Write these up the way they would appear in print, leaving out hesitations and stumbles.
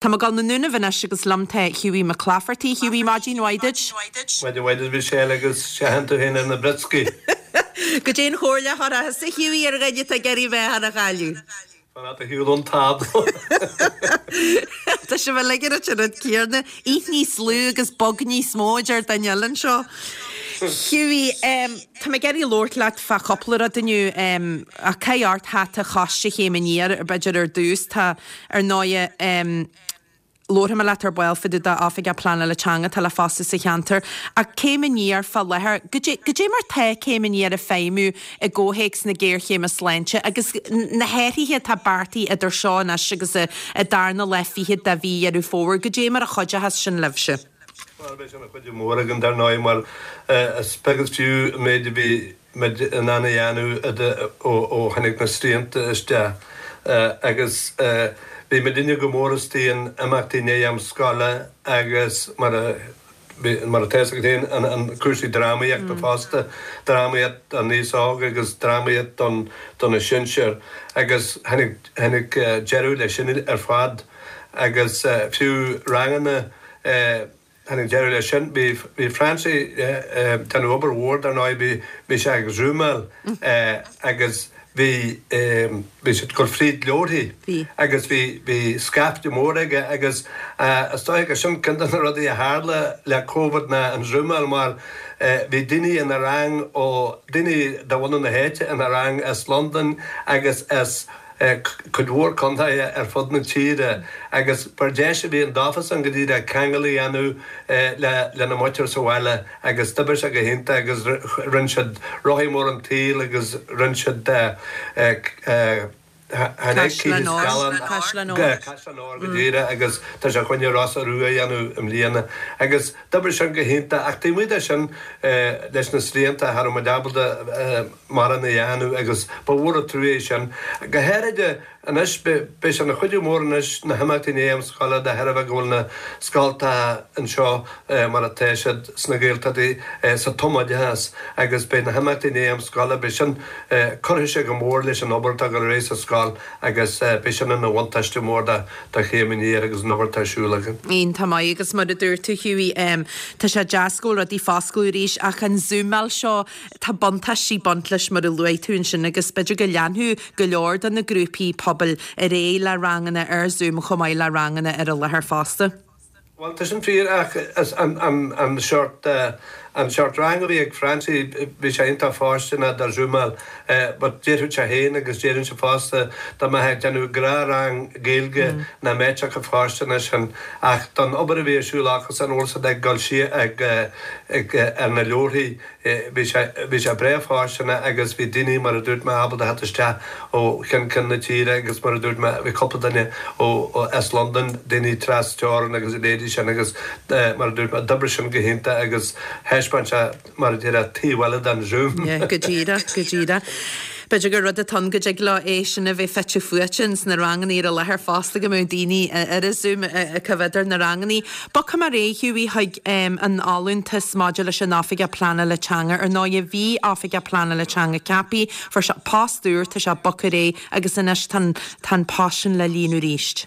Tá mé ag dul 'na nDúnaibh anois agus liom tá Hughie Mac Laifeartaigh. Hughie, maidin mhaith duit. Maidin mhaith duit Michelle agus seachain tú féin ar na brioscaí. Goidé an chomhairle a chuirfeá thusa Hughie ar dhuine atá ag iarraidh a mheáchan a chailleadh? Fan ar shiúl ón tábla. Tá sibh uilig ar an rud céanna. Ith níos lú agus bog níos mó, a deir duine eile anseo. Hughie, tá mé ag iarraidh labhairt leat fá chúpla rud inniu. Ach caith ort hata Choiste Chéim Aniar, b'fhéidir ar dtús. Tá. Ar ndóighe, labharfaidh mé leat ar ball fá dtaobh d'Oifigeach Pleanála Teanga atá le fostú sa cheantar, ach Céim Aniar fá láthair, goidé, goidé mar tá Céim Aniar ag feidhmiú i gcomhthéacs na géarchéime sláinte agus na hathruithe atá beartaithe idir seo anois agus an darna lá fichead de mhí Dheireadh Fómhair, goidé mar a chuideochas sin libhse? Bhuel, beidh sé ina chuidiú mór againn, dar ndóigh, mar is beag is fiú an méid a bhí muid in ann a dhéanamh ó tháinig na srianta isteach agus bhí muidinne go mór istigh in imeachtaí i ndiaidh am scoile agus mar a mar atá fhios agat féin an cúrsaí drámaíochta fosta, drámaíocht don aos óg agus drámaíocht don do na sinsir agus tháinig tháinig deireadh leis sin ar fad agus fiú ranganna Tháinig deireadh leis sin. Bhí bhí Francie ag déanamh obair mhór dar ndóigh, bhí bhí sé ag zúmáil agus bhí bhí sé ag dul fríd leabharthaí Bhí. agus bhí bhí scaifte mór aige agus is dóigh gur sin ceann de na rudaí a tharla le Covid ná an zúmáil mar bhí daoine ina rang ó daoine de bhunadh na háite ina rang as Londain agus as cuid mhór contaetha ar fud na tíre agus ba deis a bhí ann dófasan go díreach ceangal a dhéanamh lena muintir sa bhaile agus d'oibrigh sé go hiontach agus rinne siad Rothaí Móra an tSaoil agus rinne siad Caisleán Óir, Caisleán Óir. Caisleán Óir go díreach agus tá sé chun Rosa Rua a dhéanamh i mbliana agus d'oibrigh sin go hiontach ach taobh amuigh de sin leis na srianta cha raibh muid ábalta mórán a dhéanamh agus ba mhór an trua é sin. Go háirid anois, beidh sé ina chuidiú mór anois na himeachtaí i ndiaidh am scoile de thairbhe go bhfuil na scoltacha anseo mar atá siad sna Gaeltachtaí sa tumoideachas agus beidh na himeachtaí i ndiaidh am scoile, beidh sin, cuirfidh sé go mór leis an obair atá ag dul ar aghaidh sa scoil agus beidh sin ina bhuntáiste mór do Chéim Aniar agus an obair atá ar siúl againn. Iontach maith agus mar a dúirt tú Hughie, tá sé deas go bhfuil rudaí ag foscladh arís ach an zúmáil seo, Tá buntáistí ag baint leis mar a luaigh tú ansin agus b'fhéidir go leanfadh go leor de na grúpaí pobail ar aghaidh le ranganna ar Zoom chomh maith le ranganna ar an láthair fosta. Bhuel, tá sin fíor ach an seort, an seort rang a bhí ag Francie, bhí sé iontach fóirsteanach do Zúmáil but déarfadh sé féin agus déarfainnse fosta dá mbeifeá ag déanamh gnáthrang Gaeilge nach mbeadh sé chomh fóirsteanach sin ach don obair a bhí ar siúl acusan, bhfuil siad ag dul siar ag, ag, ar na leabharthaí. Bhí sé, bhí sé breá fóirsteanach agus bhí daoine, mar a dúirt mé, ábalta theacht isteach ó cheann ceann na tíre agus mar a dúirt mé, bhí cúpla duine ó, ó, as Londain, daoine tras teorann agus a leithéidí sin agus mar a dúirt mé, d'oibrigh sin go hiontach agus thaispeáin sé, mar a déarfá, taobh eile den Zoom. Yeah, go díreach, go díreach. B'fhéidir gur rud atá ann go dtig leo é sin a bheith fite fuaite ins na rangannaí ar an láthair fosta go mbeadh daoine ar an Zoom ag coimhéad ar na rangannaí. Bogfaidh mé ar aghaidh, Hughie, chuig an fholúntas maidir leis an Oifigeach Pleanála Teanga. Ar ndóighe, bhí Oifigeach Pleanála Teanga ceaptha, fuair sé post úr, tá sé bogtha ar aghaidh agus anois tá an tá an post sin le líonadh arís.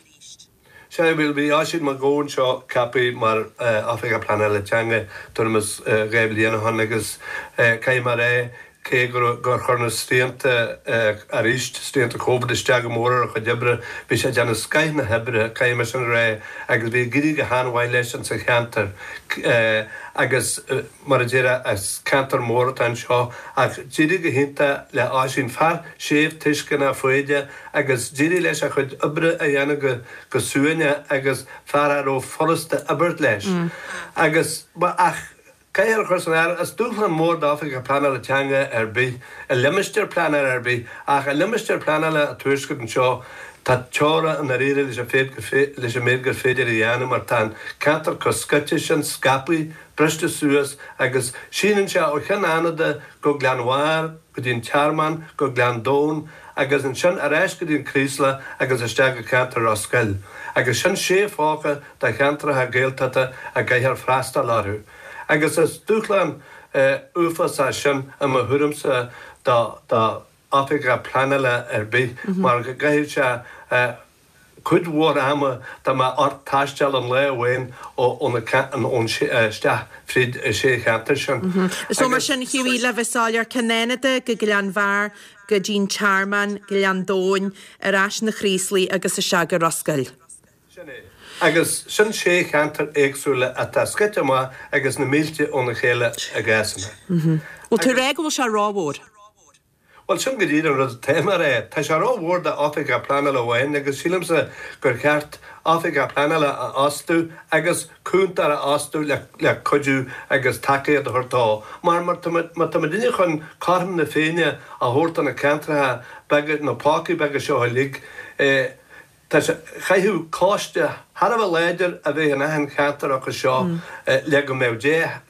Sea, bhuel, bhí Oisín Mac Gabhann anseo ceaptha mar Oifigeach Pleanála Teanga tuairim is 2 bhliain ó shin agus caithfidh mé a rá, cé gur chuir na srianta arís, srianta Covid, isteach go mór ar a chuid oibre, bhí sé ag déanamh scoith na hoibre, caithfidh mé sin a rá, agus bhí ag éirí go han-mhaith leis insa cheantar agus mar a déarfá, is ceantar mór atá anseo ach d'éirigh go hiontach le Oisín, fear séimh tuisceanach foighdeach, agus d'éirigh leis a chuid oibre a dhéanamh go go suaimhneach agus fear a raibh furasta oibriú leis. Agus, ach caithfear a chur san áireamh, is dúshlán mór d'oifigeach pleanála teanga ar bith, i limistéar pleanála ar bith, ach i limistéar pleanála an Tuaiscirt anseo, tá teora i ndáiríre leis an féid leis an méid gur féidir a dhéanamh mar tá an ceantar chomh scoite sin, scaipthe, briste suas agus síneann sé ó Chionn Fhánada go Gleann Bhairr, go dtí an Tearmann, go Gleann Domhain agus ansin ar ais go dtí an Chraoslach agus isteach go ceantar Ros Goill. Agus sin sé phóca de cheantracha Gaeltachta a gcaithfear freastal orthu. Agus is dúshlán uafásach sin i mo thuairimse do do oifigeach pleanála ar bith mar go gcaithfidh sé. cuid mhór ama dá mbeadh ort taisteal aon lá amháin ón isteach fríd an sé cheantar sin. So mar sin, Hughie, le bheith soiléir, Cionn Fhánada go Gleann Bhearr, go dtí'n Tearmann, Gleann Domhain, ar ais 'na Chraoslaigh agus isteach go Ros Goill. Sin é. Agus sin sé cheantar éagsúla atá scoite amach agus na mílte óna chéile i gcásanna. Bhfuil tú ag rá go bhfuil sé rómhór? Bhuel, sin go díreach an rud atá mé a rá. Tá sé rómhór d'oifigeach pleanála amháin agus sílimse gur cheart oifigeach pleanála a fhostú agus cúntóir a fhostú le cuidiú agus tacaíocht a thabhairt dó. Mar má tá muidinne chun cothrom na Féinne a thabhairt do na ceantracha beaga, na pócaí beaga seo uilig, Tá sé, chaithfeadh coiste thar a bheith láidir a bheith in achan cheantar acu seo le go mbeadh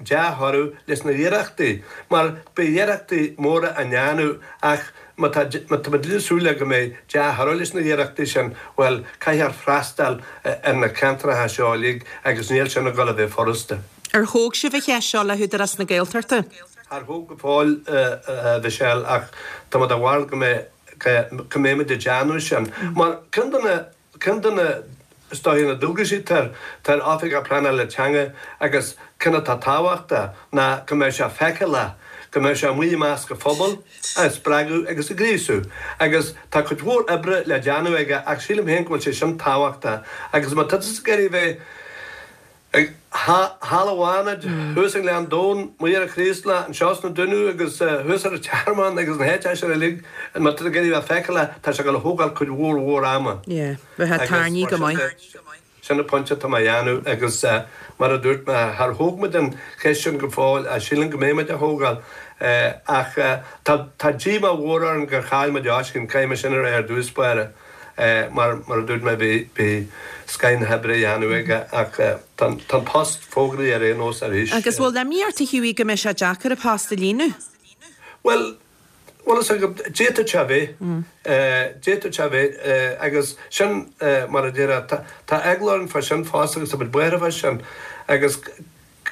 dea-thoradh leis na hiarrachtaí, mar beidh iarrachtaí móra á ndéanamh ach má tá má tá muid ag súil le go mbeidh dea-thoradh leis na hiarrachtaí sin, bhuel, caithfear freastal ar na ceantracha seo uilig agus níl sin ag dul a bheith furasta. Ar thóg sibh an cheist seo le hÚdarás na Gaeltachta? Char thóg go fóill, a Mhichelle, ach tá mé de bharúil go mbeidh go mbeimid ag déanamh sin. Mar ceann de na, ceann de na, is dóiche, na dualgaisí atá ar Oifigeach Pleanála Teanga agus ceann atá tábhachtach ná go mbeadh sé feiceálach, go mbeadh sé amuigh i measc an phobail, á spreagadh agus á ghríosú. Agus tá cuid mhór oibre le déanamh aige ach sílim féin go bhfuil sé sin tábhachtach agus má tá tusa ag iarraidh a bheith, Thall i bhFánaid, thuas i nGleann Domhain, amuigh ar an Chraoslach, anseo sna Dúnaibh agus thuas ar an Tearmann agus na háiteacha sin uilig, má tá tú ag iarraidh a bheith feiceálach, tá sé ag dul a thógáil cuid mhór mhór ama. Yeah, bheifeá tarraingthe go maith. Sin an pointe atá mé a dhéanamh agus mar a dúirt mé, char thóg muid an cheist sin go fóill ach sílim go mbeidh muid á thógáil. Ach tá díomá mhór orainn gur chaill muid Oisín, caithfidh mé sin a rá ar dtús báire. Mar mar a dúirt mé bhí bhí scoth na hoibre á dhéanamh aige ach tá an post fógraithe ar aon nós arís. Agus bhfuil imní ort a Hughie go mbeidh sé deacair an post a líonadh? Bhuel, bhfuil fhios agat, d'fhéadfadh sé a bheith, d'fhéadfadh sé a bheith agus sin mar a déarfá, tá tá eagla orainn fá sin fosta agus tá muid buartha fá sin agus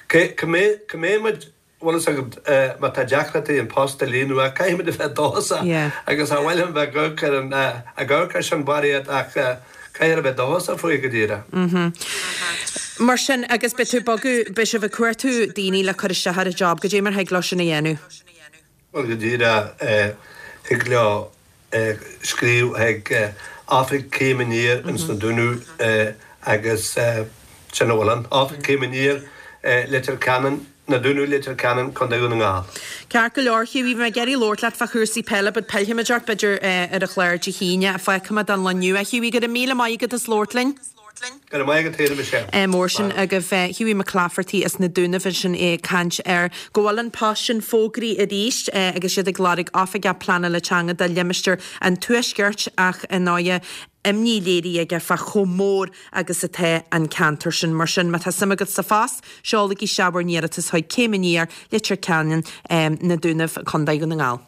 cé cá mbeidh cá mbeidh muid Bhfuil fhios agat, má tá deacrachtaí an post a líonadh, ach caithfimid a bheith dóchasach agus cha mhaith liom bheith ag amharc ar an, ag amharc air sin barraíocht ach caithfear a bheith dóchasach faoi go díreach. Mar sin, agus beidh tú ag bogadh, beidh sibh ag cuartú daoine le cur isteach ar an job, goidé mar thig leo sin a dhéanamh? Bhuel, go díreach, thig leo scríobh chuig Oifig Céim Aniar ins na Dúnaibh agus sin a bhfuil ann. Oifig Céim Aniar, Leitir Ceanainn, Na Dúnaibh, Leitir Ceanainn, Contae Dhún na nGall. Ceart go leor, Hughie, bhí mé ag iarraidh labhairt leat fá chúrsaí peile but pillfimid ort b'fhéidir ar an chlár Dé hAoine. Fágfaimid don lá inniu é. Hughie, go raibh míle maith agat as labhairt linn. Go raibh maith agat féin, a Mhichelle. Mór sin agaibh. Hughie McClafferty as na Dúnaibh ansin é ag caint ar go bhfuil an post sin fógraithe arís agus iad ag lorg Oifigeach Pleanála Teanga do limistéar an Tuaiscirt ach ar ndóighe imní léirithe aige fá chomh mór agus atá an ceantar sin. Mar sin má tá suim agat sa phost, seolaigí isteach bhur n-iarratas chuig Céim Aniar, Leitir Ceanainn, Na Dúnaibh, Contae Dhún na nGall.